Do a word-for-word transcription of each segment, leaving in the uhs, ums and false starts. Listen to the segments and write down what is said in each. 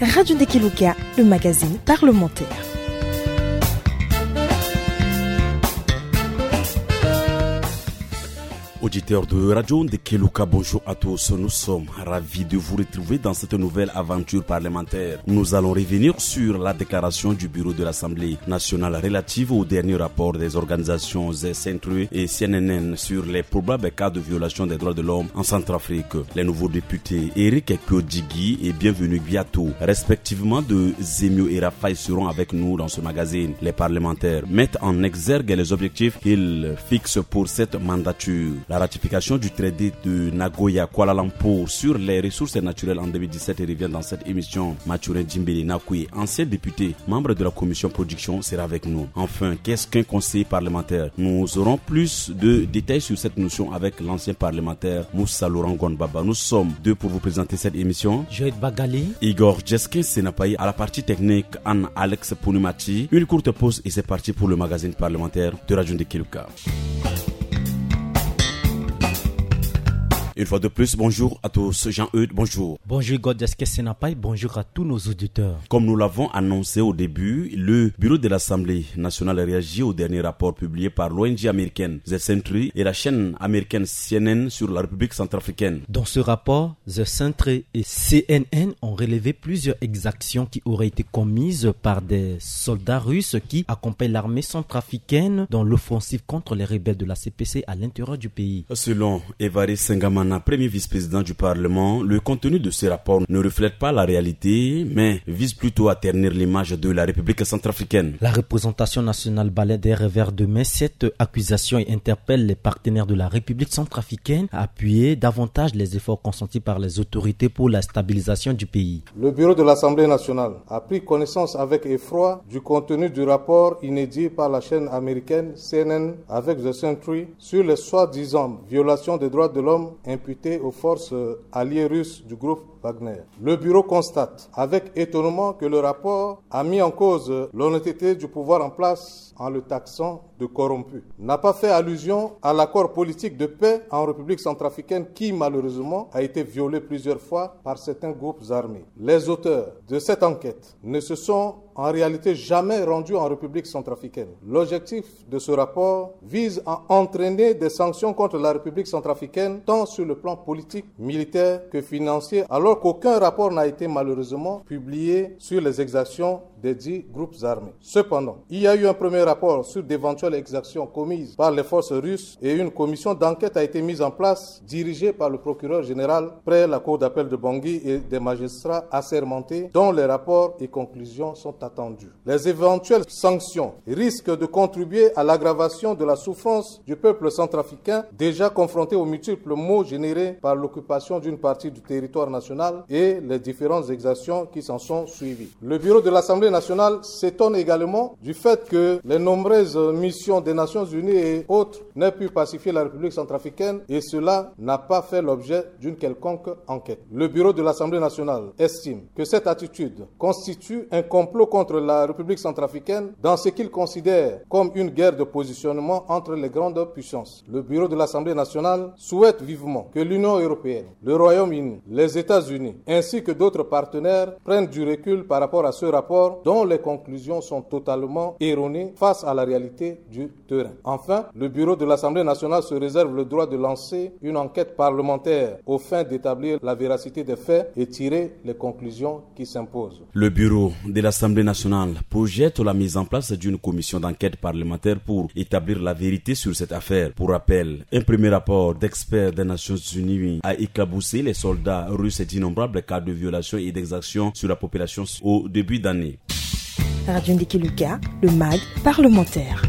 Radio Ndekeluka, le magazine parlementaire. Auditeurs de Radio Ndekeluka, bonjour à tous. Nous sommes ravis de vous retrouver dans cette nouvelle aventure parlementaire. Nous allons revenir sur la déclaration du bureau de l'Assemblée nationale relative au dernier rapport des organisations Century et C N N sur les probables cas de violation des droits de l'homme en Centrafrique. Les nouveaux députés Eric Kpiodjighi et Bienvenu Gbiato, respectivement de Zemio et Raphaël, seront avec nous dans ce magazine. Les parlementaires mettent en exergue les objectifs qu'ils fixent pour cette mandature. La ratification du traité de Nagoya Kuala Lumpur sur les ressources naturelles en deux mille dix-sept revient dans cette émission. Mathurin Djimbélé Nakoué, ancien député, membre de la commission production, sera avec nous. Enfin, qu'est-ce qu'un conseiller parlementaire ? Nous aurons plus de détails sur cette notion avec l'ancien parlementaire Moussa Laurent Gonbaba. Nous sommes deux pour vous présenter cette émission. Joël Bagali. Igor Jeskin Senapaï à la partie technique, Anne Alex Pounimati. Une courte pause et c'est parti pour le magazine parlementaire de Radio Ndekeluka. Une fois de plus, bonjour à tous. Jean-Eudes, bonjour. Bonjour Igor Jeskin Senapaï, bonjour à tous nos auditeurs. Comme nous l'avons annoncé au début, le bureau de l'Assemblée nationale réagit au dernier rapport publié par l'O N G américaine The Sentry et la chaîne américaine C N N sur la République centrafricaine. Dans ce rapport, The Sentry et C N N ont relevé plusieurs exactions qui auraient été commises par des soldats russes qui accompagnent l'armée centrafricaine dans l'offensive contre les rebelles de la C P C à l'intérieur du pays. Selon Évariste Sengamana, premier vice-président du Parlement, le contenu de ce rapport ne reflète pas la réalité, mais vise plutôt à ternir l'image de la République centrafricaine. La représentation nationale balaie d'un revers de main cette accusation et interpelle les partenaires de la République centrafricaine à appuyer davantage les efforts consentis par les autorités pour la stabilisation du pays. Le bureau de l'Assemblée nationale a pris connaissance avec effroi du contenu du rapport inédit par la chaîne américaine C N N avec The Sentry sur les soi-disant violations des droits de l'homme imputées aux forces, euh, alliées russes du groupe Wagner. Le bureau constate avec étonnement que le rapport a mis en cause l'honnêteté du pouvoir en place en le taxant de corrompu. N'a pas fait allusion à l'accord politique de paix en République centrafricaine qui, malheureusement, a été violé plusieurs fois par certains groupes armés. Les auteurs de cette enquête ne se sont en réalité jamais rendus en République centrafricaine. L'objectif de ce rapport vise à entraîner des sanctions contre la République centrafricaine, tant sur le plan politique, militaire que financier, alors qu'aucun rapport n'a été malheureusement publié sur les exactions des dix groupes armés. Cependant, il y a eu un premier rapport sur d'éventuelles exactions commises par les forces russes et une commission d'enquête a été mise en place, dirigée par le procureur général près la cour d'appel de Bangui et des magistrats assermentés dont les rapports et conclusions sont attendus. Les éventuelles sanctions risquent de contribuer à l'aggravation de la souffrance du peuple centrafricain, déjà confronté aux multiples maux générés par l'occupation d'une partie du territoire national et les différentes exactions qui s'en sont suivies. Le bureau de l'Assemblée nationale s'étonne également du fait que les nombreuses missions des Nations Unies et autres n'aient pu pacifier la République centrafricaine, et cela n'a pas fait l'objet d'une quelconque enquête. Le bureau de l'Assemblée nationale estime que cette attitude constitue un complot contre la République centrafricaine dans ce qu'il considère comme une guerre de positionnement entre les grandes puissances. Le bureau de l'Assemblée nationale souhaite vivement que l'Union européenne, le Royaume-Uni, les États-Unis, ainsi que d'autres partenaires prennent du recul par rapport à ce rapport dont les conclusions sont totalement erronées face à la réalité du terrain. Enfin, le bureau de l'Assemblée nationale se réserve le droit de lancer une enquête parlementaire aux fins d'établir la véracité des faits et tirer les conclusions qui s'imposent. Le bureau de l'Assemblée nationale projette la mise en place d'une commission d'enquête parlementaire pour établir la vérité sur cette affaire. Pour rappel, un premier rapport d'experts des Nations Unies a éclaboussé les soldats russes et d'innombrables cas de violation et d'exactions sur la population au début d'année. Radio Ndekeluka, le mag parlementaire.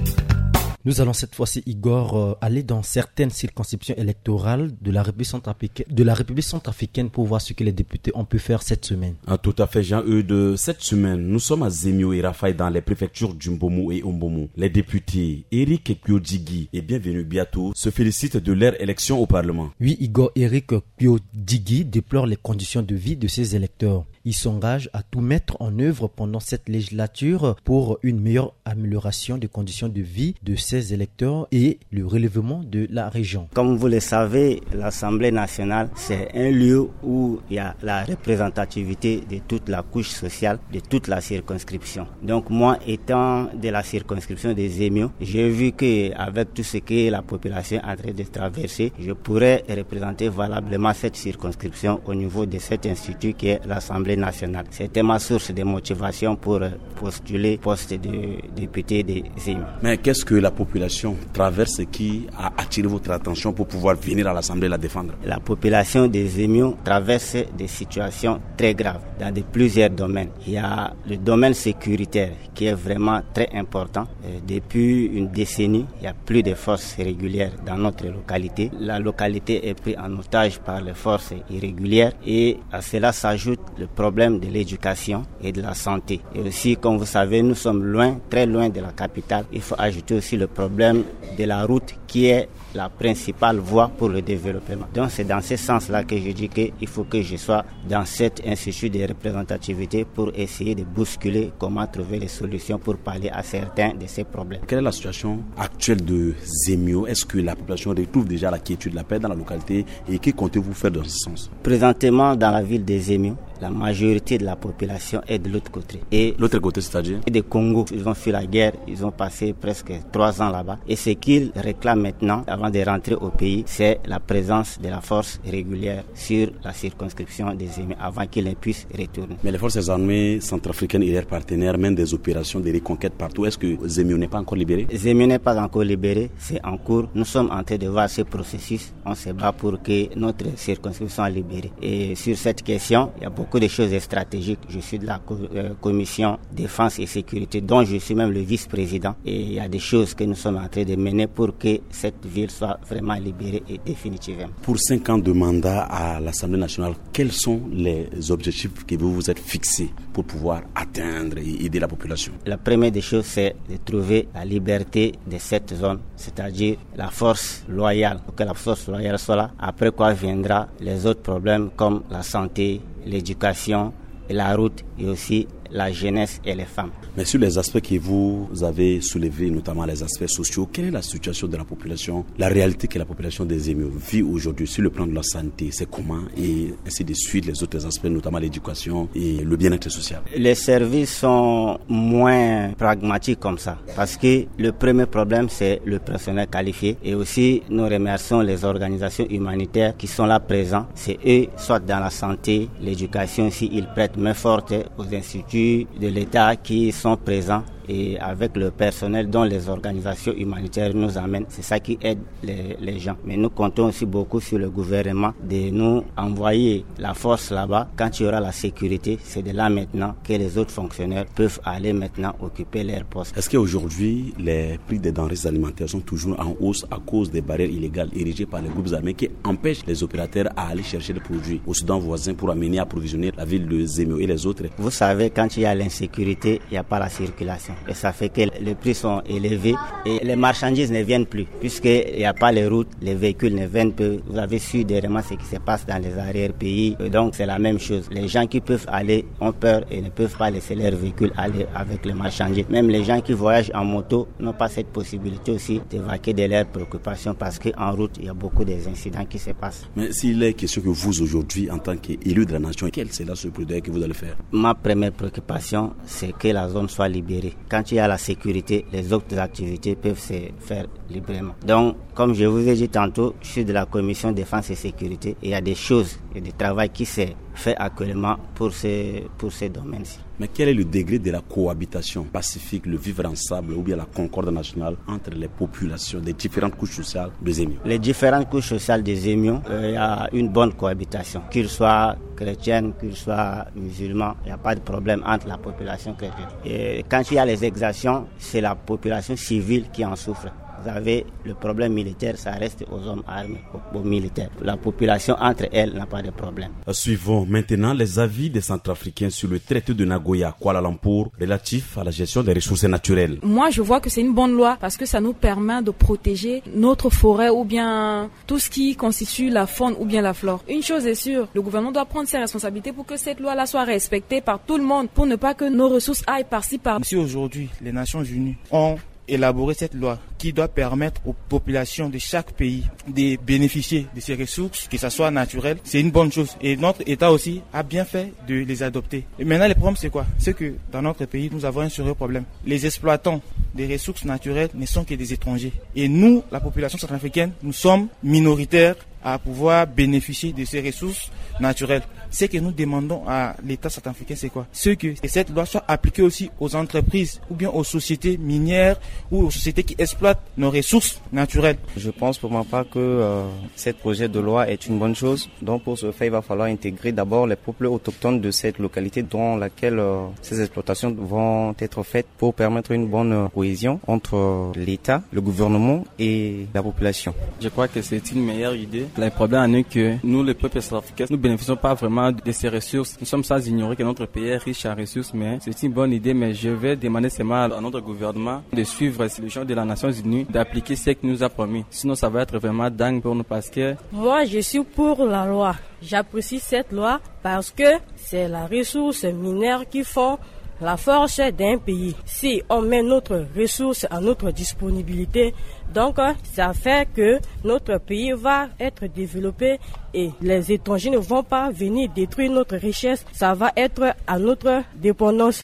Nous allons cette fois-ci, Igor, euh, aller dans certaines circonscriptions électorales de la République centrafricaine, de la République centrafricaine pour voir ce que les députés ont pu faire cette semaine. Ah, tout à fait, Jean-Eudes. Cette semaine, nous sommes à Zemio et Raphaël dans les préfectures du Mbomou et Ombomou. Les députés Eric Kpiodjighi et Bienvenu Gbiato se félicitent de leur élection au Parlement. Oui, Igor, Eric Kpiodjighi déplore les conditions de vie de ses électeurs. Il s'engage à tout mettre en œuvre pendant cette législature pour une meilleure amélioration des conditions de vie de ses électeurs et le relèvement de la région. Comme vous le savez, l'Assemblée nationale, c'est un lieu où il y a la représentativité de toute la couche sociale, de toute la circonscription. Donc moi, étant de la circonscription des Zemio, j'ai vu que avec tout ce que la population est en train de traverser, je pourrais représenter valablement cette circonscription au niveau de cet institut qui est l'Assemblée nationale. C'était ma source de motivation pour, euh, postuler poste de député des Zemio. Mais qu'est-ce que la population traverse qui a attiré votre attention pour pouvoir venir à l'Assemblée la défendre ? La population des Zemio traverse des situations très graves dans de plusieurs domaines. Il y a le domaine sécuritaire qui est vraiment très important. Euh, depuis une décennie, il n'y a plus de forces régulières dans notre localité. La localité est prise en otage par les forces irrégulières et à cela s'ajoute le problème de l'éducation et de la santé. Et aussi, comme vous savez, nous sommes loin, très loin de la capitale. Il faut ajouter aussi le problème de la route qui est la principale voie pour le développement. Donc c'est dans ce sens-là que je dis qu'il faut que je sois dans cet institut de représentativité pour essayer de bousculer comment trouver les solutions pour parler à certains de ces problèmes. Quelle est la situation actuelle de Zemio ? Est-ce que la population retrouve déjà la quiétude, la paix dans la localité et que comptez-vous faire dans ce sens ? Présentement, dans la ville de Zemio, la majorité de la population est de l'autre côté. Et l'autre côté, c'est-à-dire ? De Congo, ils ont fui la guerre, ils ont passé presque trois ans là-bas. Et ce qu'ils réclament maintenant, avant de rentrer au pays, c'est la présence de la force régulière sur la circonscription de Zemio avant qu'ils ne puissent retourner. Mais les forces armées centrafricaines et leurs partenaires mènent des opérations de reconquête partout. Est-ce que Zemio n'est pas encore libéré ? Zemio n'est pas encore libéré, c'est en cours. Nous sommes en train de voir ce processus. On se bat pour que notre circonscription soit libérée. Et sur cette question, il y a beaucoup de choses stratégiques. Je suis de la co-, euh, commission défense et sécurité, dont je suis même le vice-président. Et il y a des choses que nous sommes en train de mener pour que cette ville soit vraiment libérée et définitivement. Pour cinq ans de mandat à l'Assemblée nationale, quels sont les objectifs que vous vous êtes fixés pour pouvoir atteindre et aider la population ? La première des choses, c'est de trouver la liberté de cette zone, c'est-à-dire la force loyale, pour que la force loyale soit là. Après quoi viendra les autres problèmes comme la santé, l'éducation, et la route et aussi la jeunesse et les femmes. Mais sur les aspects que vous avez soulevés, notamment les aspects sociaux, quelle est la situation de la population, la réalité que la population des Zemio vit aujourd'hui sur le plan de la santé ? C'est comment ? Et ainsi de suite, les autres aspects, notamment l'éducation et le bien-être social. Les services sont moins pragmatiques comme ça. Parce que le premier problème, c'est le personnel qualifié. Et aussi, nous remercions les organisations humanitaires qui sont là présents. C'est eux, soit dans la santé, l'éducation, s'ils prêtent main forte aux instituts de l'État qui sont présents et avec le personnel dont les organisations humanitaires nous amènent. C'est ça qui aide les, les gens. Mais nous comptons aussi beaucoup sur le gouvernement de nous envoyer la force là-bas. Quand il y aura la sécurité, c'est de là maintenant que les autres fonctionnaires peuvent aller maintenant occuper leur poste. Est-ce qu'aujourd'hui, les prix des denrées alimentaires sont toujours en hausse à cause des barrières illégales érigées par les groupes armés qui empêchent les opérateurs à aller chercher les produits au Soudan voisin pour amener approvisionner la ville de Zemio et les autres ? Vous savez, quand il y a l'insécurité, il n'y a pas la circulation. Et ça fait que les prix sont élevés et les marchandises ne viennent plus. Puisqu'il n'y a pas les routes, les véhicules ne viennent plus. Vous avez su dernièrement ce qui se passe dans les arrière-pays. Et donc, c'est la même chose. Les gens qui peuvent aller ont peur et ne peuvent pas laisser leur véhicule aller avec les marchandises. Même les gens qui voyagent en moto n'ont pas cette possibilité aussi de vaquer de leurs préoccupations parce qu'en route, il y a beaucoup des incidents qui se passent. Mais s'il est question que vous, aujourd'hui, en tant qu'élu de la nation, quel sera ce plaidoyer que vous allez faire ? Ma première préoccupation, c'est que la zone soit libérée. Quand il y a la sécurité, les autres activités peuvent se faire librement. Donc, comme je vous ai dit tantôt, je suis de la commission défense et sécurité. Et il y a des choses et des travaux qui se fait actuellement pour ce, pour ce domaine-ci. Mais quel est le degré de la cohabitation pacifique, le vivre ensemble ou bien la concorde nationale entre les populations des différentes couches sociales de Zemio ? Les différentes couches sociales de Zemio, euh, il y a une bonne cohabitation, qu'ils soient chrétiennes, qu'ils soient musulmans, il n'y a pas de problème entre la population chrétienne. Et quand il y a les exactions, c'est la population civile qui en souffre. Vous avez le problème militaire, ça reste aux hommes armés, aux, aux militaires. La population entre elles n'a pas de problème. Suivons maintenant les avis des Centrafricains sur le traité de Nagoya, Kuala Lumpur, relatif à la gestion des ressources naturelles. Moi, je vois que c'est une bonne loi parce que ça nous permet de protéger notre forêt ou bien tout ce qui constitue la faune ou bien la flore. Une chose est sûre, le gouvernement doit prendre ses responsabilités pour que cette loi-là soit respectée par tout le monde, pour ne pas que nos ressources aillent par-ci par... Si aujourd'hui les Nations Unies ont élaborer cette loi qui doit permettre aux populations de chaque pays de bénéficier de ces ressources, que ce soit naturel, c'est une bonne chose. Et notre État aussi a bien fait de les adopter. Et maintenant, le problème, c'est quoi ? C'est que dans notre pays, nous avons un sérieux problème. Les exploitants des ressources naturelles ne sont que des étrangers. Et nous, la population centrafricaine, nous sommes minoritaires à pouvoir bénéficier de ces ressources naturelles. Ce que nous demandons à l'État centrafricain, c'est quoi ? C'est que cette loi soit appliquée aussi aux entreprises ou bien aux sociétés minières ou aux sociétés qui exploitent nos ressources naturelles. Je pense pour ma part que euh, ce projet de loi est une bonne chose. Donc pour ce faire, il va falloir intégrer d'abord les peuples autochtones de cette localité dans laquelle euh, ces exploitations vont être faites pour permettre une bonne cohésion entre l'État, le gouvernement et la population. Je crois que c'est une meilleure idée. Le problème en est que nous, le peuple centrafricain, nous ne bénéficions pas vraiment de ces ressources. Nous sommes sans ignorer que notre pays est riche en ressources, mais c'est une bonne idée. Mais je vais demander seulement à notre gouvernement de suivre les gens de la Nations Unies, d'appliquer ce qu'il nous a promis. Sinon, ça va être vraiment dingue pour nous parce que... Moi, je suis pour la loi. J'apprécie cette loi parce que c'est la ressource minière qui font la force d'un pays. Si on met notre ressource à notre disponibilité, donc ça fait que notre pays va être développé et les étrangers ne vont pas venir détruire notre richesse. Ça va être à notre dépendance.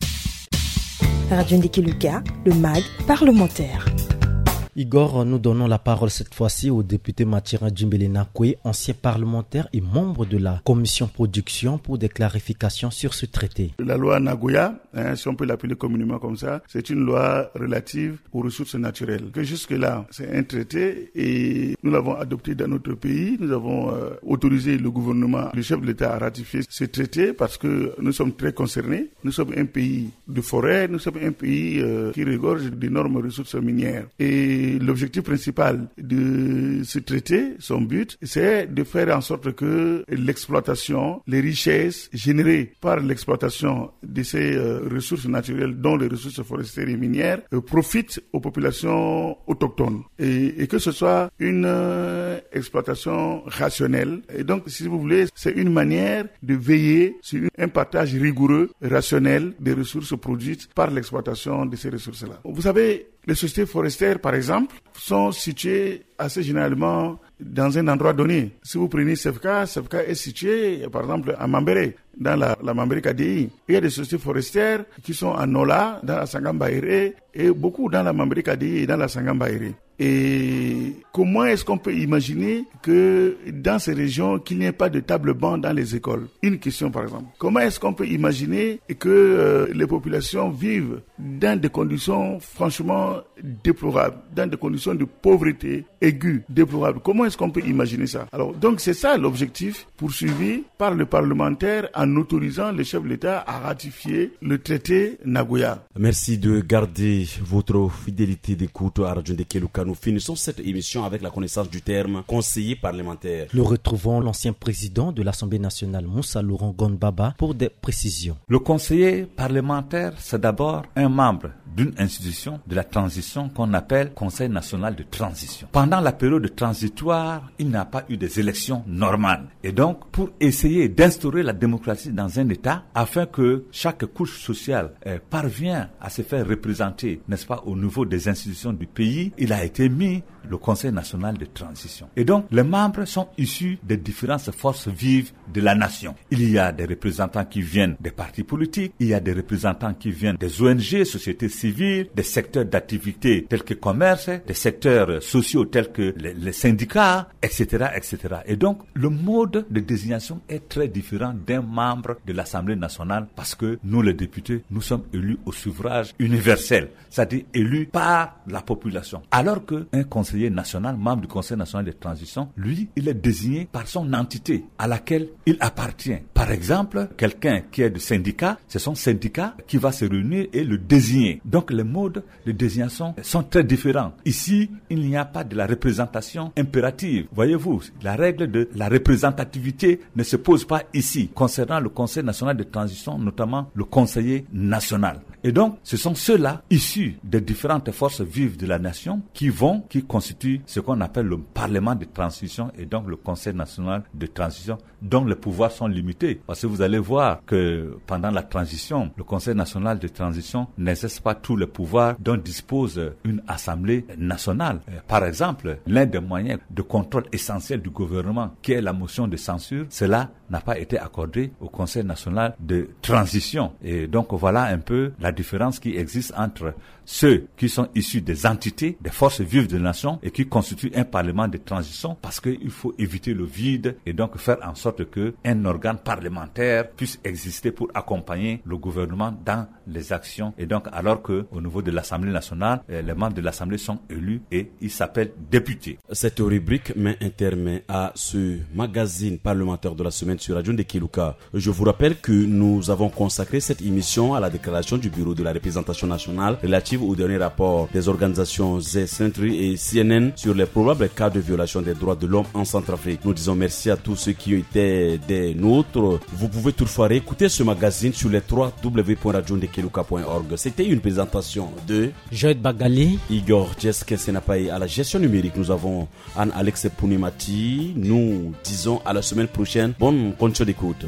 Radio Ndiki Luka, le mag parlementaire. Igor, nous donnons la parole cette fois-ci au député Mathurin Djimbélé Nakoué, ancien parlementaire et membre de la commission production, pour des clarifications sur ce traité. La loi Nagoya, hein, si on peut l'appeler communément comme ça, c'est une loi relative aux ressources naturelles. Que jusque-là, c'est un traité et nous l'avons adopté dans notre pays. Nous avons euh, autorisé le gouvernement, le chef de l'État à ratifier ce traité parce que nous sommes très concernés. Nous sommes un pays de forêt, nous sommes un pays euh, qui regorge d'énormes ressources minières. Et l'objectif principal de ce traité, son but, c'est de faire en sorte que l'exploitation, les richesses générées par l'exploitation de ces euh, ressources naturelles, dont les ressources forestières et minières, euh, profitent aux populations autochtones. Et, et que ce soit une euh, exploitation rationnelle. Et donc, si vous voulez, c'est une manière de veiller sur un partage rigoureux, rationnel des ressources produites par l'exploitation de ces ressources-là. Vous savez, les sociétés forestières, par exemple, sont situées assez généralement dans un endroit donné. Si vous prenez Sefka, Sefka est situé, par exemple, à Mambéré, dans la, la Mambéré Kadéï. Il y a des sociétés forestières qui sont à Nola, dans la Sangamba Ere, et beaucoup dans la Mambéré Kadéï et dans la Sangamba Ere. Et comment est-ce qu'on peut imaginer que dans ces régions, qu'il n'y ait pas de table-banc dans les écoles ? Une question, par exemple. Comment est-ce qu'on peut imaginer que euh, les populations vivent dans des conditions franchement déplorables, dans des conditions de pauvreté aiguë, déplorables ? Comment est-ce qu'on peut imaginer ça ? Alors, donc, c'est ça l'objectif poursuivi par le parlementaire en autorisant le chef de l'État à ratifier le traité Nagoya. Merci de garder votre fidélité d'écoute à Radio Ndeke Luka. Nous finissons cette émission avec la connaissance du terme conseiller parlementaire. Nous retrouvons l'ancien président de l'Assemblée nationale, Moussa Laurent Gonbaba, pour des précisions. Le conseiller parlementaire, c'est d'abord un membre d'une institution de la transition qu'on appelle Conseil national de transition. Pendant la période transitoire, il n'y a pas eu des élections normales. Et donc, pour essayer d'instaurer la démocratie dans un État, afin que chaque couche sociale euh, parvienne à se faire représenter, n'est-ce pas, au niveau des institutions du pays, il a été mis le Conseil national de transition. Et donc, les membres sont issus des différentes forces vives de la nation. Il y a des représentants qui viennent des partis politiques, il y a des représentants qui viennent des O N G, sociétés civiles, des secteurs d'activité tels que commerce, des secteurs sociaux tels que les, les syndicats, et cetera, et cetera. Et donc, le mode de désignation est très différent d'un membre de l'Assemblée nationale parce que nous, les députés, nous sommes élus au suffrage universel, c'est-à-dire élus par la population. Alors qu'un conseiller conseiller national, membre du Conseil national de transition, lui, il est désigné par son entité à laquelle il appartient. Par exemple, quelqu'un qui est du syndicat, c'est son syndicat qui va se réunir et le désigner. Donc les modes de désignation sont très différents. Ici, il n'y a pas de la représentation impérative. Voyez-vous, la règle de la représentativité ne se pose pas ici, concernant le Conseil national de transition, notamment le conseiller national. Et donc, ce sont ceux-là, issus des différentes forces vives de la nation, qui vont, qui constituent ce qu'on appelle le Parlement de transition et donc le Conseil national de transition, dont les pouvoirs sont limités. Parce que vous allez voir que pendant la transition, le Conseil national de transition n'exerce pas tous les pouvoirs dont dispose une assemblée nationale. Euh, par exemple, l'un des moyens de contrôle essentiel du gouvernement, qui est la motion de censure, cela n'a pas été accordé au Conseil national de transition. Et donc voilà un peu la différence qui existe entre ceux qui sont issus des entités, des forces vives de la nation et qui constituent un parlement de transition, parce qu'il faut éviter le vide et donc faire en sorte que un organe parlementaire puisse exister pour accompagner le gouvernement dans les actions. Et donc, alors que au niveau de l'Assemblée nationale, euh, les membres de l'Assemblée sont élus et ils s'appellent députés. Cette rubrique met un terme à ce magazine parlementaire de la semaine sur Radio Ndekeluka. Je vous rappelle que nous avons consacré cette émission à la déclaration du bureau de la représentation nationale relative au dernier rapport des organisations Z Sentry et C N N sur les probables cas de violation des droits de l'homme en Centrafrique. Nous disons merci à tous ceux qui étaient des nôtres. Vous pouvez toutefois réécouter ce magazine sur les trois W point radio ndekeluka point org. C'était une présentation de Joël Bagali, Igor Jess Kensenapay à la gestion numérique. Nous avons Anne Alex Punimati. Nous disons à la semaine prochaine. Bonne condition d'écoute.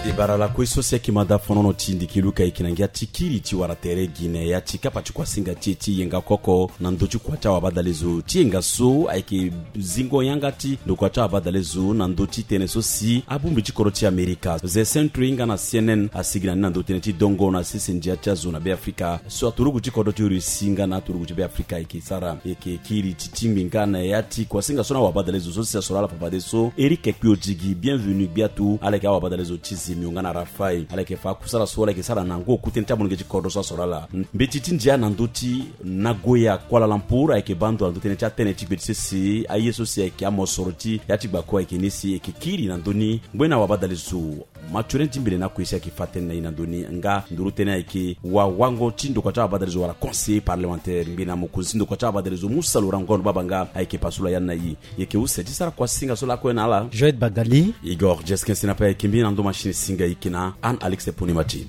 E bara lakue so si ayeke mada fonono ti Ndekeluka ayeke na ngia ti kiri ti wara tere gi na ya ti kapa ti kuasinga ti e ti yenga koko na ndö ti kua ti awabadalezo. Ti yenga so ayeke zingo yanga ti ndokua ti awabadalezo na ndö ti tënë so si abongbi ti kodro ti Amerika, The Sentry nga na C N N asigi na ni na ndö tënë ti dongo na sese ndia ti azo na Beafrika so aturugu ti kodro ti Russie nga na aturugu ti Beafrika ayeke sara. Ayeke kiri ti tingbi nga na ya ti kuasinga so na awabadalezo so si asoro ala fafadeso. Eric Kpio Digi, bienvenu gbia tu. Ala yeke awabadalezo ti Zemio nga na Rafael. Ala yeke fa akusala so ala yeke sara na ngu oku tënë ti amolenge ti kodro so asoro ala. Mbeti ti ndia na ndö ti Nagoya, Kuala Lumpur ayeke baa ndo na ndö tënë ti atënë ti gbe ti sese. Aye so si ayeke amosoro ti ya ti gbako ayeke ni si ayeke kiri na ndö ni. Ngbene awabadalezo Mathurin Dimbele na akue si ayeke fa tënë na e na ndö ni nga nduru tënë ayeke wawango ti ndokua ti awabadalezo wala conseiller parlementaire ngbene mokonzi ti ndokua ti awabadalezo Musa Laurent Ngondo Babanga ayeke pasula ya na e. E yeke use ti sara kuasinga so lakue na ala. Joël Bagali, Igor Jeskin Sinape ayeke mbeni na ndo machine singa e yeke na Anne Alex Ponimati.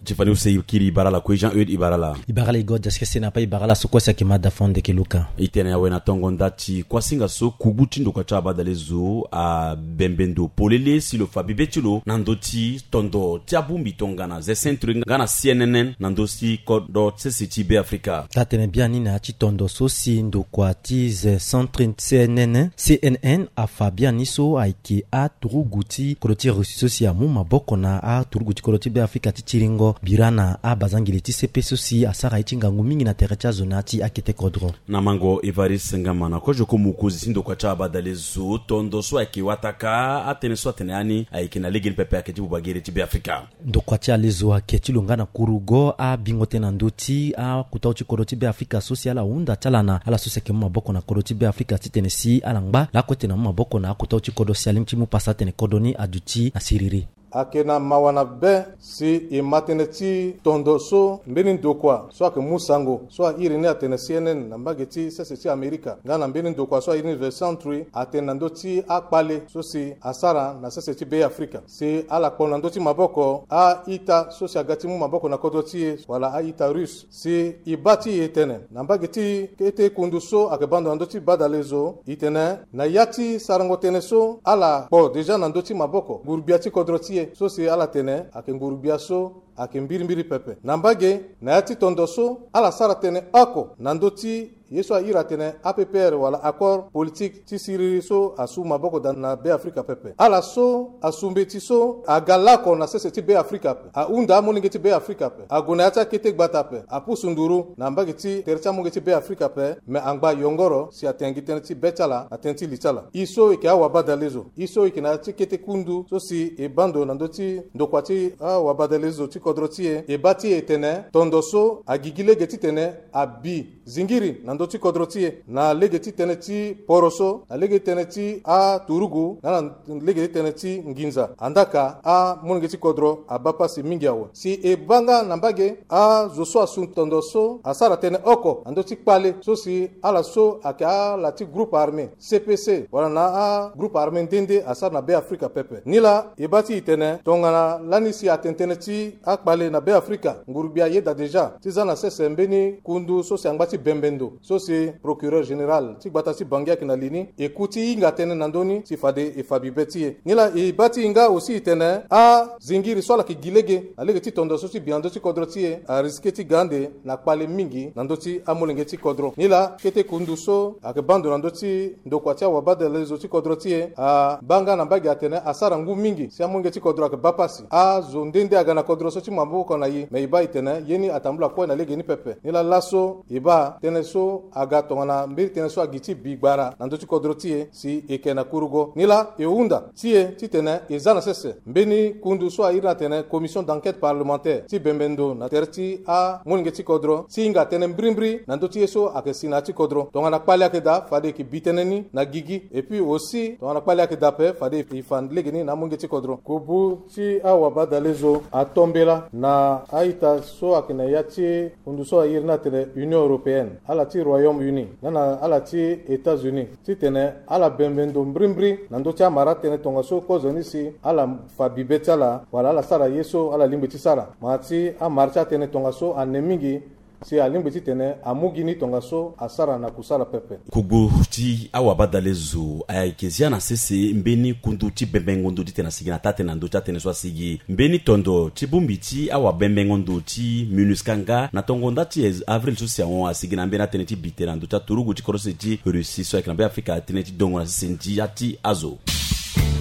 Ti fani use e kiri e bara ala kue Jean Eude e bara ala. E bara ala Igor Jeskin Sinape e bara ala so kue si ayeke mada fo Ndekeluka. E tene awe na tongo nda ti kuasinga so kubu ti ndokua ti abadalezo abembe ndo polele si lo fa bibe ti lo na ndö ti tondo ti abongbi tongana The Sentry nga na C N N na ndö ti kodro sese ti Beafrika. Taa-tënë biani na ya ti tondo so si ndokua ti The Sentry C N N, C N N afa biani so ayeke aturugu ti kodro ti Russie so si amu maboko na aturugu ti kodro ti Beafrika ti tiringo bira na abazangele ti sepe so si asara ye ti ngangu mingi na tere ti azo na ya ti akete kodro. Na mango Evariste Ngama na kozo ko mokonzi ti ndokua ti abadalezo, tondo so ayeke wataka atënë so atene yani ayeke na legeni pepe ayeke ti buba gere ti Beafrika. Ndokua ti alezo ayeke ti lo nga na kurugo abingo tënë na ndö ti akota ti kodro ti Beafrika so si ala hunda ti ala na ala so si ayeke mu maboko na kodro ti Beafrika titene si ala ngba lakue tene amu maboko na akota ti kodro si alingbi ti mu pasa atene kodro ni aduti na siriri. Ayeke na mawa na be si e ma tënë ti tondo so mbeni ndokua so ayeke mu sango so airi ni atene C N N na mbage ti sese ti Amerika nga na mbeni ndokua so airi ni The Sentry atene na ndö ti akpale so si asara na sese ti Beafrika si ala kpo na ndö ti maboko a-ita so si aga ti mu maboko na kodro ti e wala a-ita Russe. Si e baa ti e tene na mbage ti kete kundu so ayeke baa ndo na ndö ti badalezo e tene na ya ti sarango tënë so ala kpo deja na ndö ti maboko ngurugbia ti kodro ti e so si ala tene ayeke ngurugbia so ayeke mbirimbiri pepe. Na mbage, na ya ti tondo so ala sara tënë oko na ndö ti ye so a iri atene A P P R wala accord politique ti siriri so asu maboko daa na Be Afrika pepe. Ala so asu mbeti so aga laoko na sese ti Be Afrika ape, ahunda amolenge ti Be Afrika ape, ague na ya ti akete gbata ape, apusu nduru na mbage ti tere ti amolenge ti Be Afrika ape, me angba yongoro si atene gi tënë ti be ti ala na tënë ti li ti ala. E so e yeke awabadalezo, e so e yeke na ya ti kete kundu so si e baa ndo na ndö ti ndokua ti awabadalezo ti kodro ti e, e baa ti e tene tondo so agigi lege titene abi zingiri na ndö ti kodro ti e, na lege ti tënë ti poro so, na lege ti tënë ti aturugu, na na lege ti tënë ti nginza. Andaa ka amolenge ti kodro abaa pasi mingi awe. Si e baa nga na mbage azo so asu tondo so asara tënë oko na ndö ti kpale so si ala so ayeke ala ti groupe armé C P C wala na agroupe armé nde nde asara na Be Afrika pepe. Nilaa e baa ti e tene tongana lani si atene tënë ti akpale na Be Afrika, nguru-gbia ayeda déjà ti za na sese mbeni kundu so si angba ti bembe ndo so si procureur général ti gbata ti Bangui ayeke na li ni, e ku ti hinga tënë na ndö ni si fade e fa bi be ti e. Nilaa e baa ti e nga aussi e tene azingiri so ala yeke gi lege na lege ti tondo so ti bi na ndö ti kodro ti e, arisque ti ga ande na kpale mingi na ndö ti amolenge ti kodro. Nilaa kete kundu so ayeke baa ndo na ndö ti ndokua ti awabadalezo ti kodro ti e abaa nga na mbage atene asara ngu mingi si amolenge ti kodro ayeke baa pasi. Azo nde nde aga na kodro so ti maboko na e, me e baa e tene ye ni atambula kue na lege ni pepe. Nilaa laso e baa tënë so aga tongana mbeni tënë so agi ti bi gbara na ndö ti kodro ti e si e yeke na kurugo. Nilaa e hunda ti e titene e za na sese mbeni kundu so a iri ni atene commission d'enquête parlementaire ti bembe ndo na tere ti amolenge ti kodro ti hinga tënë mbirimbiri na ndö ti ye so ayeke si na ya ti kodro. Tongana kpale ayeke daa, fade e yeke bi tënë ni na gigi. Et puis aussi tongana kpale ayeke daa ape, fade e fa lege ni na amolenge ti kodro. Kubu ti awabadalezo atombela na a-ita so ayeke na ya ti kundu so a iri ni atene Union européenne, ala ti Royaume-Uni, na na ala ti États-Unis, titene ala bembe ndo mbirimbiri na ndö ti amara atënë tongaso kozoni si ala fa bi be ti ala wala ala sara ye so ala lingbi ti sara. Ma ti amara ti atënë tongaso ane mingi si alingbi titene amu gi ni tongaso asara na kusala pepe. Kogbo ti awabadalezo ayeke zia na sese mbeni kundu ti bembengo ndo titene asigi na taa-tënë na ndö ti atënë so asigi. Mbeni tondo ti bongbi ti awabembengo ndo ti MINUSCA nga na tongo nda ti avril so si ahon asigi na mbeni atënë ti bi tënë na ndö ti aturugu ti kodro sese ti Russie so ayeke na Be Afrika, tënë ti dongo na sese ndia ti azo.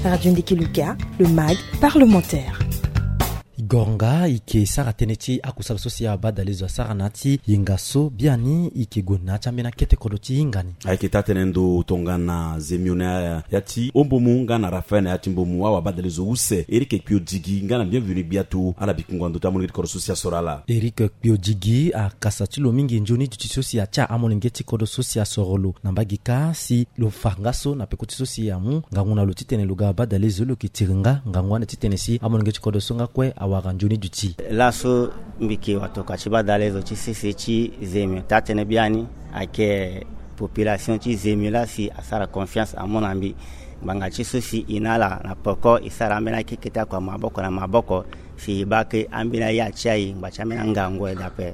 Radio Ndiki Luka, le mag parlementaire. Goronga e yeke sara tënë ti akusala so si awabadalezo asara na ya ti yenga so biani e yeke gue na ya ti ambeni akete kodro ti hinga ni. Ayeke taa-tënë ndo tongana Zemio na ya ti Ombomu nga na Raphaël na ya ti Mbomu, awabadalezo use Eric Kpiodigi nga na Bienvenu Gbiatu, ala bi kungua ndo ti amolenge ti kodro so si asoro ala. Eric Kpiodigi akasa ti lo mingi nzoni duti so si atia amolenge ti kodro so si asoro lo na mbage kâ si lo fa nga so na peko ti so si amu ngangu na lo titene lo ga badalezo lo yeke tiri nga ngangu ande titene si amolenge ti kodro so nga kue awara nzoni duti. Laso mbi yeke watokua ti badalezo ti sese ti Zemio. Taa-tënë biani ayeke population ti Zemio laa si asara confiance amu na mbi. Ngbanga ti so si e na ala na peko e sara ambeni akekete akua maboko na maboko si e baa ke ambeni aya ti aye ngba ti ambeni angangu aye daa ape.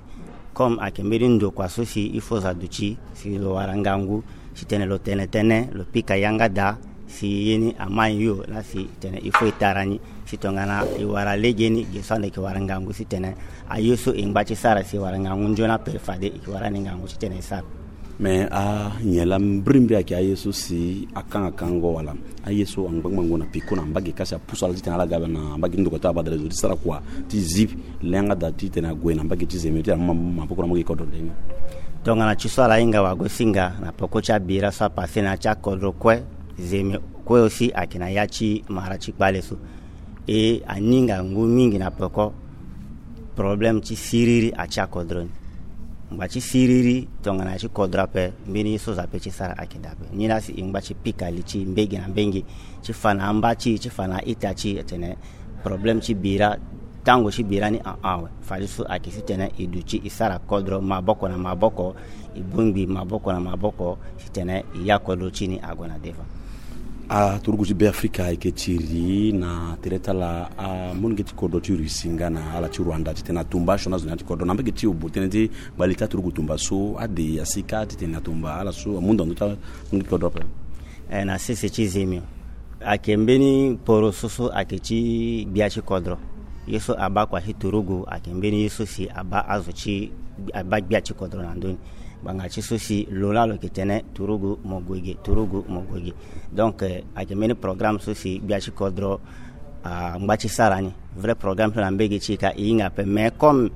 Comme ayeke mbeni ndokua so si il faut azo aduti si lo wara ngangu titene lo tene tënë, lo pika yanga daa si ye ni amai yo laa si tene il faut e tara ni. Si tongana e wara legeni, ge so ande e yeke wara ngangu titene aye so e ngba ti sara si e wara ngangu nzoni ape fade e yeke wara ni ngangu titene e sara. Me anyen laa mbirimbiri ayeke aye so si akanga kango wala aye so angbangbango na peko na mbage kâ si apusu ala titene ala ga na mbage ti ndokua ti abadalezo ti sara kua ti zi le yanga daa titene ague na mbage ti Zemio ti amu maboko na mbage kodro ndeni. Tongana ti so ala hinga wagosinga na peko ti abira so apasse na ya ti akodro kue, Zemio kue aussi ayeke na ya ti mara ti kpale so. E ani ngangu mingi na peko problème ti siriri atia kodro ni. Ngba ti siriri tongana ya ti kodro ape, mbeni ye so azo ape ti sara ayeke daa ape. Nilaa si e ngba ti pika li ti mbage na mbage ti fa na amba ti e, ti fa na a-ita ti e atene problème ti bira, tango ti bira ni ahon awe. Fadeso ayeke titene e duti e sara kodro maboko na maboko, e bongbi maboko na maboko titene e ya kodro ti ni ague na devant. Aturugu ti Beafrika ayeke tiri na tere ti ala amolenge ti kodro ti Russie nga na ala ti Rwanda titene atumba asioni azo na ya ti kodro. Na mbage ti e, obo tënë ti gbali ti aturugu tumba so ade asi kâ titene atumba ala so amu ndo na ndö ti amolenge ti kodro ape? Eh, na sese ti Zemio ayeke mbeni poro so so ayeke ti gbia ti kodro. Ye so abaa kua ti turugu ayeke mbeni ye so si abaa azo ti, abaa gbia ti kodro na ndö ni. Ngbanga ti so si lo laa lo yeke tene turugu mo gue ge, turugu mo gue ge. Donc, eh, ayeke mbeni programme so si gbia ti kodro angba ti sara ni. Vrai programme so na mbege ti e ka e hinga ape, mais comme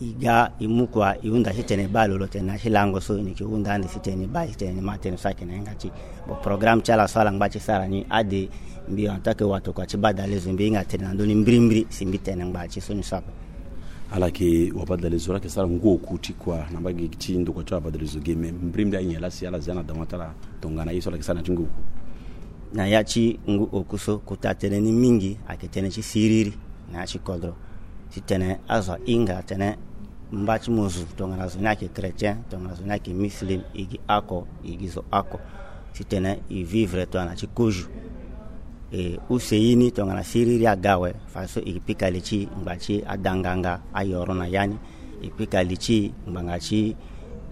e ga e mu kua e hunda titene e baa lo, lo tene na ya ti lango so e yeke hunda ande titene e baa titene e ma tënë so ayeke na hinga ti e. Bon, programme ti ala so ala ngba ti sara ni ade, mbi en tant que watokua ti badalezo mbi hinga tene na ndö ni mbirimbiri si mbi tene ngbanga ti so ni so ape. Ala yeke wabadalezo, ala yeke sara ngu oku ti kua na mbage ti ndokua ti wabadalezo ge, me mbirimbiri anyen laa si ala zia na dama ti ala tongana ye so ala yeke sara na ya ti ngu oku? Na ya ti ngu oku so, kota tënë ni mingi ayeke tënë ti siriri na ya ti kodro. Titene azo ahinga atene mba ti mo zo tongana zo ni ayeke chrétien, tongana zo ni ayeke muslim, e gi oko, e gi zo oko. Titene e vivre tongana ti kozo. E use ye ni tongana siriri aga awe, fadeso e pika li ti e ngbanga ti adanganga ayoro na ya ni. E pika li ti e ngbanga ti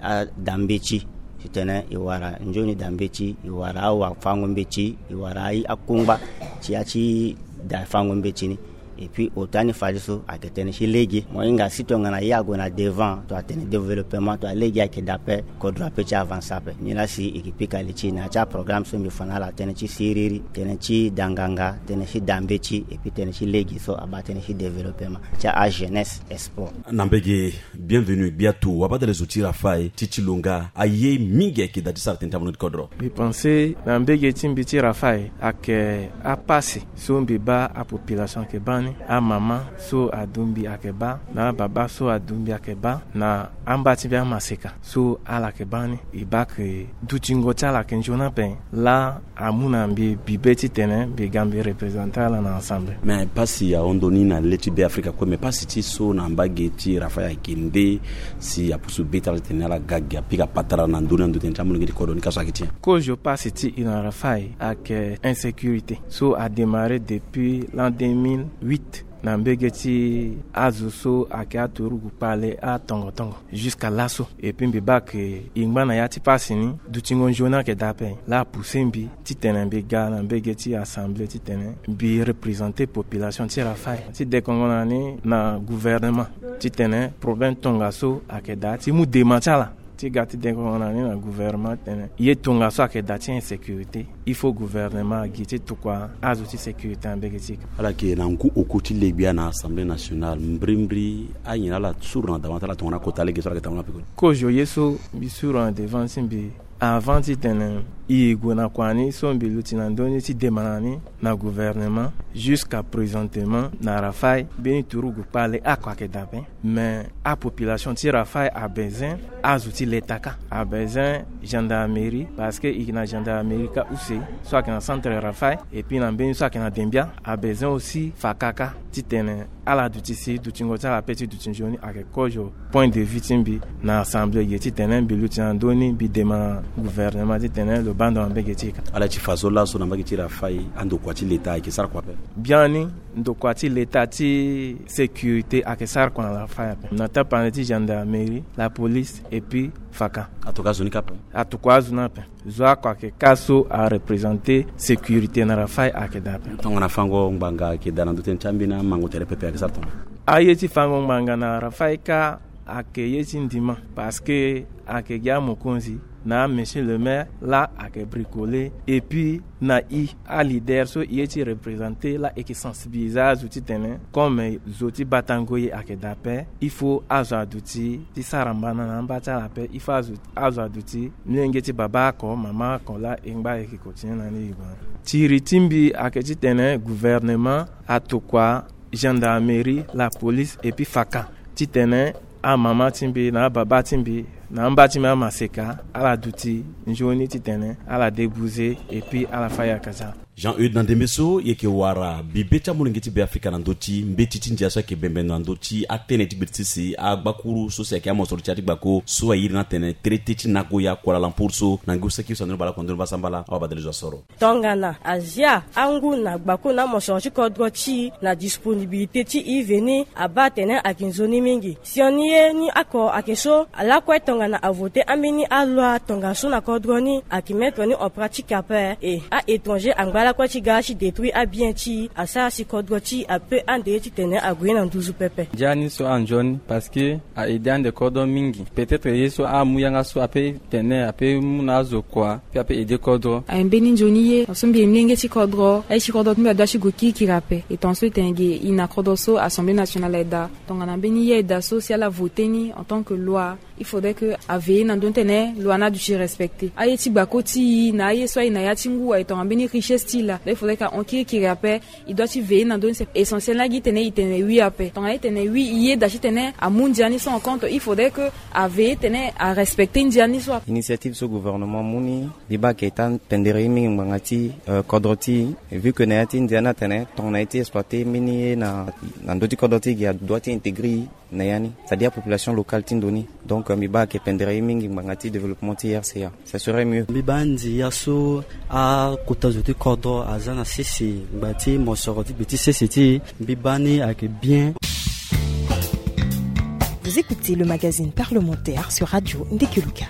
adambeti. Titene e wara nzoni dambeti, e wara awafango-mbeti, e wara akungba ti ya ti da fango-mbeti ni. Et puis ota ni fadeso ayeke tënë ti lege. Mo hinga si tongana ye ague na devant, to atene développement, to alege ayeke daa ape, kodro ape ti avancer ape. Nilaa si e yeke pika li ti e na ya ti aprogramme so mbi fa na ala, tënë ti siriri, tënë ti danganga, tënë ti dambeti, et puis tënë ti lege so abaa tënë ti développement ti ajeunesse et sport. Na mbege, bienvenu gbia tu wabadalezo ti Rafael ti ti lo nga, aye mingi ayeke daa ti sara tënë ti amono ti kodro. Mbi pense na mbege ti mbi ti Rafael ayeke apasi so mbi baa apopulation ayeke baa ni, amama so adu mbi ayeke baa, na ababa so adu mbi ayeke baa, na amba ti mbi amaseka so ala yeke baa ni. E baa ke dutingo ti ala ayeke nzoni ape laa amu na mbi bibe titene mbi ga mbi représenter ala na assemblée. Mais pasi ahon ndoni na le ti Beafrika kue, mais pasi ti e so na mbage ti Rafael ayeke nde si apusu be ti ala titene ala ga gi apika patara na ndö ni na ndo tënë ti amolenge ti kodro ni ka so ayeke ti nyen? Kozo pasi ti e na Rafael ayeke insécurité so adémarré depuis l'an deux mille huit na mbege ti azo so ayeke aturugu kpale atongo tongo jusqu'à laso. Et puis mbi baa ke e ngba na ya ti pasi ni, dutingo nzoni ayeke daa ape laa apoussé mbi titene mbi ga na mbege ti assemblée titene mbi représenter population ti Rafael. Ti dekongo na ni na gouvernement titene problème tongaso ayeke daa, ti mu dema ti ala ti ga ti dekongo na ni na gouvernement titene ye tongaso ayeke daa ti insécurité, il faut gouvernement agi ti tokua azo ti sécurité na mbege ti e. Ala yeke na ngu oko ti le gbia na Assemblée nationale, mbirimbiri anyen ala suru na dama ti ala tongana kota lege so ala yeke tambula na peko ni? Kozo ye so mbi suru na devant ti mbi avant titene e gue na kua ni so mbi luti na ndö ni ti dema na ni na gouvernement, jusqu'à présentement na Rafael mbeni turugu kpale oko ayeke daa ape. Mais apopulation ti Rafael abezoin azo ti leta kâ, abezoin gendarmerie, parce que e yeke na gendarmerie kâ use so ayeke na centre Rafael, et puis na mbeni so ayeke na Dembia abezoin aussi faka kâ, titene ala duti si dutingo ti ala ape ti duti nzoni. Ayeke kozo point de vue ti mbi na assemblée ge titene mbi luti na ndö ni mbi dema na gouvernement titene lo baa ndo na mbege ti e kâ. Ala ti fa so laso na mbage ti Rafael andokua ti leta ayeke sara kua ape? Biani ndokua ti leta ti sécurité ayeke sara kua na Rafael ape na tapande ti gendarmerie, la police et puis faka. Atokua azo ni kâ ape? Atokua azo ni ape. Zo oko ayeke kâ so areprésenter sécurité na Rafael ayeke daa ape. Tongana fango ngbanga ayeke daa na ndo tënë ti ambeni amango tere pepe ayeke sara tongana? Aye ti fango ngbanga na Rafael kâ ayeke ye ti ndima, parce que ayeke gi amokonzi na monsieur le maire laa ayeke bricoler, et puis na e aleader so e ye ti représenter laa e yeke sensibiliser azo titene comme zo ti batango ye ayeke daa ape, il faut azo aduti ti sara mbana na amba ti ala ape, il faut azo, azo aduti molenge ti baba oko, mama oko laa e ngba e yeke continuer na ni e gue na. Tiri ti mbi ayeke titene gouvernement atokua gendarmerie, la police et puis faka titene amama ti mbi na ababa ti mbi na amba ti mbi amaseka ala duti nzoni titene ala débouser et puis ala fâ ayaka ti ala. Jean Eudes, na ndembe so e yeke wara bibe ti amolenge ti Beafrika na ndö ti mbeti ti ndia so ayeke bembe na ndö ti atënë ti gbiri ti si agbakuru so si ayeke amosoro ti ya ti gbako so airi ni atene traité ti Nagoya Kuala Lumpur so na ngu saki so andoni baleoko andoni vasambala awabadalezo asoro. Tongana azia angu na gbako na amosoro ti kodro ti e na disponibilité ti e veni abaa atene ayeke nzoni mingi. Sioni ye ni oko ayeke so lakue tongana avoter ambeni aloi tongaso na kodro ni ayeke mettre ni en pratique ape. E a-étranger angba Akua ti ga ti détruire abien ti asara si kodro ti ape ande ye titene ague na nduzu pepe. Ndia ni so anzoni parce que a aide ande kodro mingi. Peut-être ye so amu yanga so ape tene ape mu na azo kua pe ape aide kodro. Aye mbeni nzoni ye so mbi ye mlenge ti kodro aye ti kodro ti mbi adua ti gue kirikiri ape. E tonga so e tene ge i na kodro so Assemblée nationale aye daa. Tongana mbeni ye aye daa so si ala vote ni en tant que loi, il faudrait que a veiller na ndö ti tene loi ni aduti respecter. Aye ti gbako ti i na aye so aye na ya ti ngu aye tongana mbeni richesse ti i laa. Donc il faudrait que ahon kirikiri ape. I doit ti veiller na ndö ni. C'est essentiel na gi tene i tene oui ape. Tongana i tene oui i yeda ti tene amu ndia ni so en compte, il faudrait que a veiller tene a respecter ndia ni so ape. Initiative so gouvernement amu ni, mbi baa ayeke pendere ye mingi ngbanga ti kodro ti e, vu que na ya ti ndia ni atene tongana ye ti exploiter mbeni ye na ndö ti kodro ti e gi a doit ti intégrer i na ya ni, c'est-à-dire population locale ti ndo ni. Donc mbi baa ayeke pendere ye mingi ngbanga ti développement ti R C A. Ça serait mieux. Mbi baa ndia so akota zo ti kodro aza na sese ngbanga ti mosoro ti gbe ti sese ti e, mbi baa ni ayeke bien. Vous écoutez le magazine parlementaire sur Radio Ndeke Luka.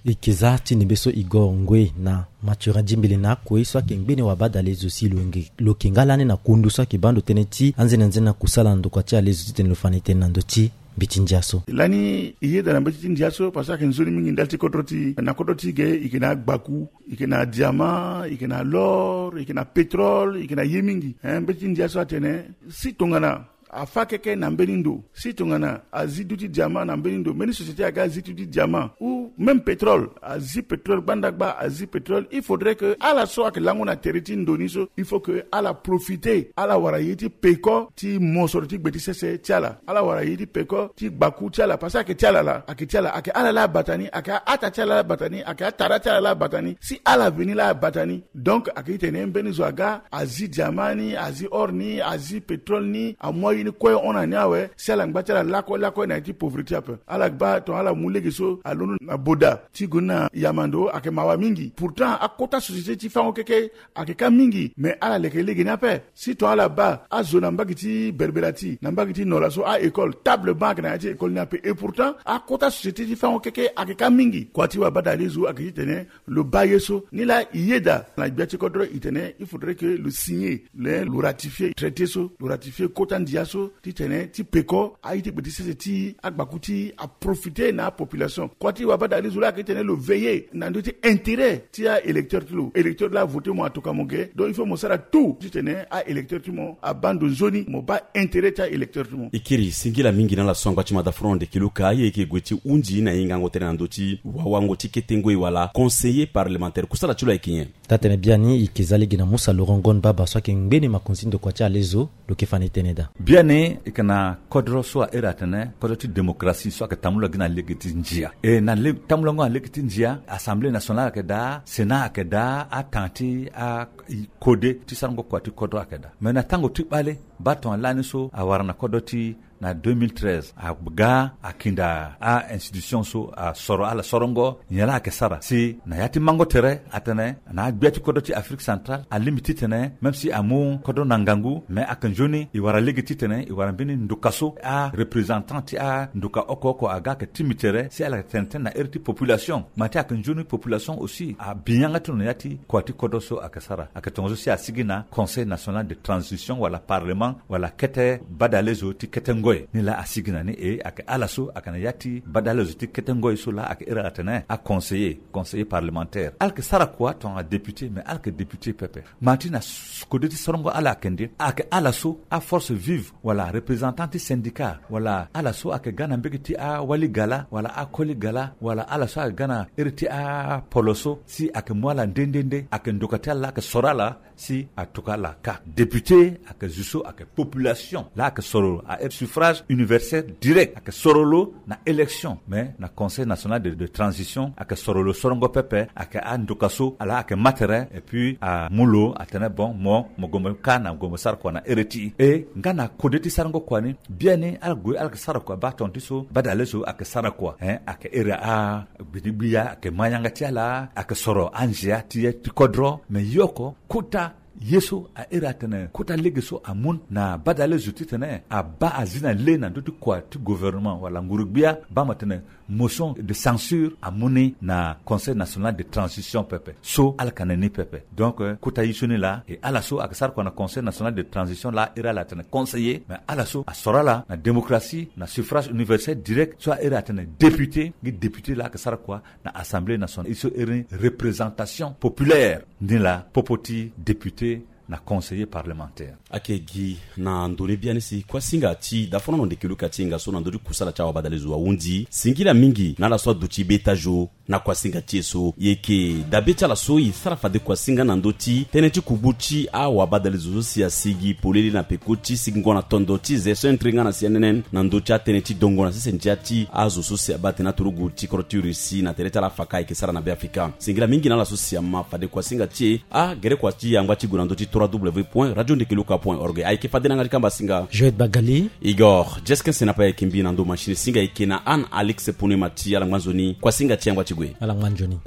Eke za ti ndembe so Igor Ngwe na Mathurin Djimbili na akue so ayeke ngbene wabadale zo si lo yeke nga lani na kundu so ayeke baa ndo tënë ti anzenanzena kusala na ndokua ti ale zo titene lo fa na e tënë na ndö ti mbi ti ndia so. Lani e yeda na mbeti ti ndia so parce que ayeke nzoni mingi ndali ti kodro ti e. Na kodro ti e ge e yeke na agbaku, e yeke na diamant, e yeke na l'or, e yeke na pétrole, e yeke na ye mingi. Mbeti ti ndia so atene si tongana afa keke na mbeni ndo, si tongana azi duti diamant na mbeni ndo, mbeni société aga azi duti diamant ou même pétrole, azi pétrole gbandagba, azi pétrole, il faudrait que ala so ayeke lango na tere ti ndo ni so, il faut que ala profiter, ala wara ye ti peko ti mosoro ti gbe ti sese ti ala, ala wara ye ti peko ti gbaku ti ala, parce que ayeke ti ala laa, ayeke ti ala, ayeke ala laa abata ni, ayeke aata ti ala laa abata ni, ayeke atara ti ala laa abata ni, si ala veni laa abata ni. Donc ayeke ti tene mbeni zo aga azi diamant ni, azi or ni, azi pétrole ni, amu aye ni kue hon na ni awe, si ala ngba ti ala lakue lakue na ya ti pauvreté ape. Ala gba tongana ala mu lege so alondo na boda ti gue ni na yamando ayeke mawa mingi. Pourtant akota société ti fango keke ayeke ka mingi, mais ala leke lege ni ape. Si tongana ala baa azo na mbage ti berbera ti, na mbage ti nola so a-école, table banc ayeke na ya ti école ni ape. Et pourtant akota société ti fango keke ayeke ka mingi. Kua ti wabadale zo ayeke ti tene lo baa ye so. Nilaa e yeda na gbia ti kodro e tene il faudrait que lo signer, le lo ratifier traité so, lo ratifier kota ndia so titene ti peko aye ti gbe ti sese ti agbaku ti aprofiter na apopulation. Kua ti wabadale zo laa ayeke ti tene lo veiller na ndö ti intérêt ti a-électeur ti lo. Électeur laa avoter mo atoka mo ge. Donc il faut mo sara tout titene a-électeur ti mo abaa ndo nzoni, mo baa intérêt ti a-électeur ti mo. E kiri singila mingi na ala so angba ti mada front de kiluka aye e yeke gue ti hunzi na hingango tënë na ndö ti wawango ti kete ngoi wala conseiller parlementaire, kusala ti lo ayeke nyen? Taa-tënë biani e yeke za lege na Musa Laurent Ngon Baba so ayeke ngbene makonzi ndokua ti ale zo, lo yeke fa na e tënë daa. Biani e yeke na kodro so a iri atene kodro ti démocratie so ayeke tambula gi na lege ti ndia. E na le, tambulango na lege ti ndia, Assemblée nationale ayeke daa, Sénat ayeke daa, atan ti a, i kode ti sarango kua ti kodro ayeke daa. Me na tango ti kpale, baa tongana lani so awara na kodro ti na deux mille treize aga akinda a-institution so asoro ala sorongo nyen laa ayeke sara si na ya ti mango tere atene na agbia ti kodro ti Afrique centrale alingbi titene même si amu kodro na ngangu, me ayeke nzoni e wara lege titene e wara mbeni nduka so areprésentant ti anduka oko oko aga ayeke timi tere si ala yeke tene tënë na ere ti population. Ma ti ayeke nzoni population aussi abi yanga ti lo na ya ti kua ti kodro so ayeke sara. Ayeke tongaso si asigi na Conseil national de transition wala parlement wala kete badale zo ti kete ngoi. Nilaa asigi na ni e ayeke ala so ayeke na ya ti badale zo ti kete ngoi so laa ayeke iri ala atene aconseiller, conseiller parlementaire. Ala yeke sara kua tongana député, mais ala yeke député pepe. Ma ti na kode ti sorongo ala ayeke nde, ayeke ala so aforce vive wala représentant ti syndicat wala ala so ayeke ga na mbege ti awali gala wala akoli gala wala ala so ayeke ga na ere ti apolo so si ayeke mu ala nde nde nde, ayeke ndoka ti ala laa ayeke soro ala si atuka ala ka. Député ayeke zo so ayeke population laa ayeke soro lo a ere suffrage universel direct, ayeke soro lo na élection. Mais na Conseil national de, de transition ayeke soro lo sorongo pepe, ayeke andoka so ala ayeke ma tere et puis amu lo atene bon mo, mo gue mo ka na gue mo sara kua na ere ti e. E nga na kode ti sarango kua ni, biani ala gue ala yeke sara kua baa tonga ti so badale so ayeke sara kua, hein, ayeke ere a gbidi gbia ayeke ma yanga ti ala, ayeke soro anzia ti ye ti kodro. Me ye oko kota Ye so a iri atene kota lege so amu na badale zo titene abaa azi na le na ndö ti kua ti gouvernement wala nguru-gbia baa mo tene motion de censure amu ni na Conseil national de transition pepe. So ala ka na ni pepe. Donc kota ye so ni laa e ala so ayeke sara kua na Conseil national de transition laa iri ala atene conseiller, mais ala so asoro ala na démocratie na suffrage universel direct so a iri atene député. Ngi député laa ayeke sara kua na Assemblée nationale ye so iri ni représentation populaire. Ni laa popo ti député na conseiller parlementaire. Ayeke gi na ndo ni biani si kuasinga ti dafono na ndeke luka ti hinga so na ndö ti kusala ti awabadale zo ahunzi singila mingi na ala so aduti be tajo. Na kuasinga ti e so e yeke dabe ti ala so e sara fade kuasinga na ndö ti tënë ti kubu ti awabadale zo so si asigi polele na peko ti sigingo na tondo ti ze so entre nga na sianenen na ndö ti atënë ti dongo na sese ndia ti azo so si abaa tene aturugu ti kodro ti Russie na tere ti ala afaka ayeke sara na Beafrika. Singila mingi na ala so si ama fade kuasinga ti e. Agere kua ti yangba ti gue na ndö ti trois w point radio ndeke luka point org. Ayeke fade na yanga ti kamba singa Joël Bagali. Igor Jeskin Senapa ayeke mbi na ndo machine singa ayeke na Anne Alix Ponema ti ala ngba nzoni. Kuasinga ti yangba ti gue. Ala ngba nzoni.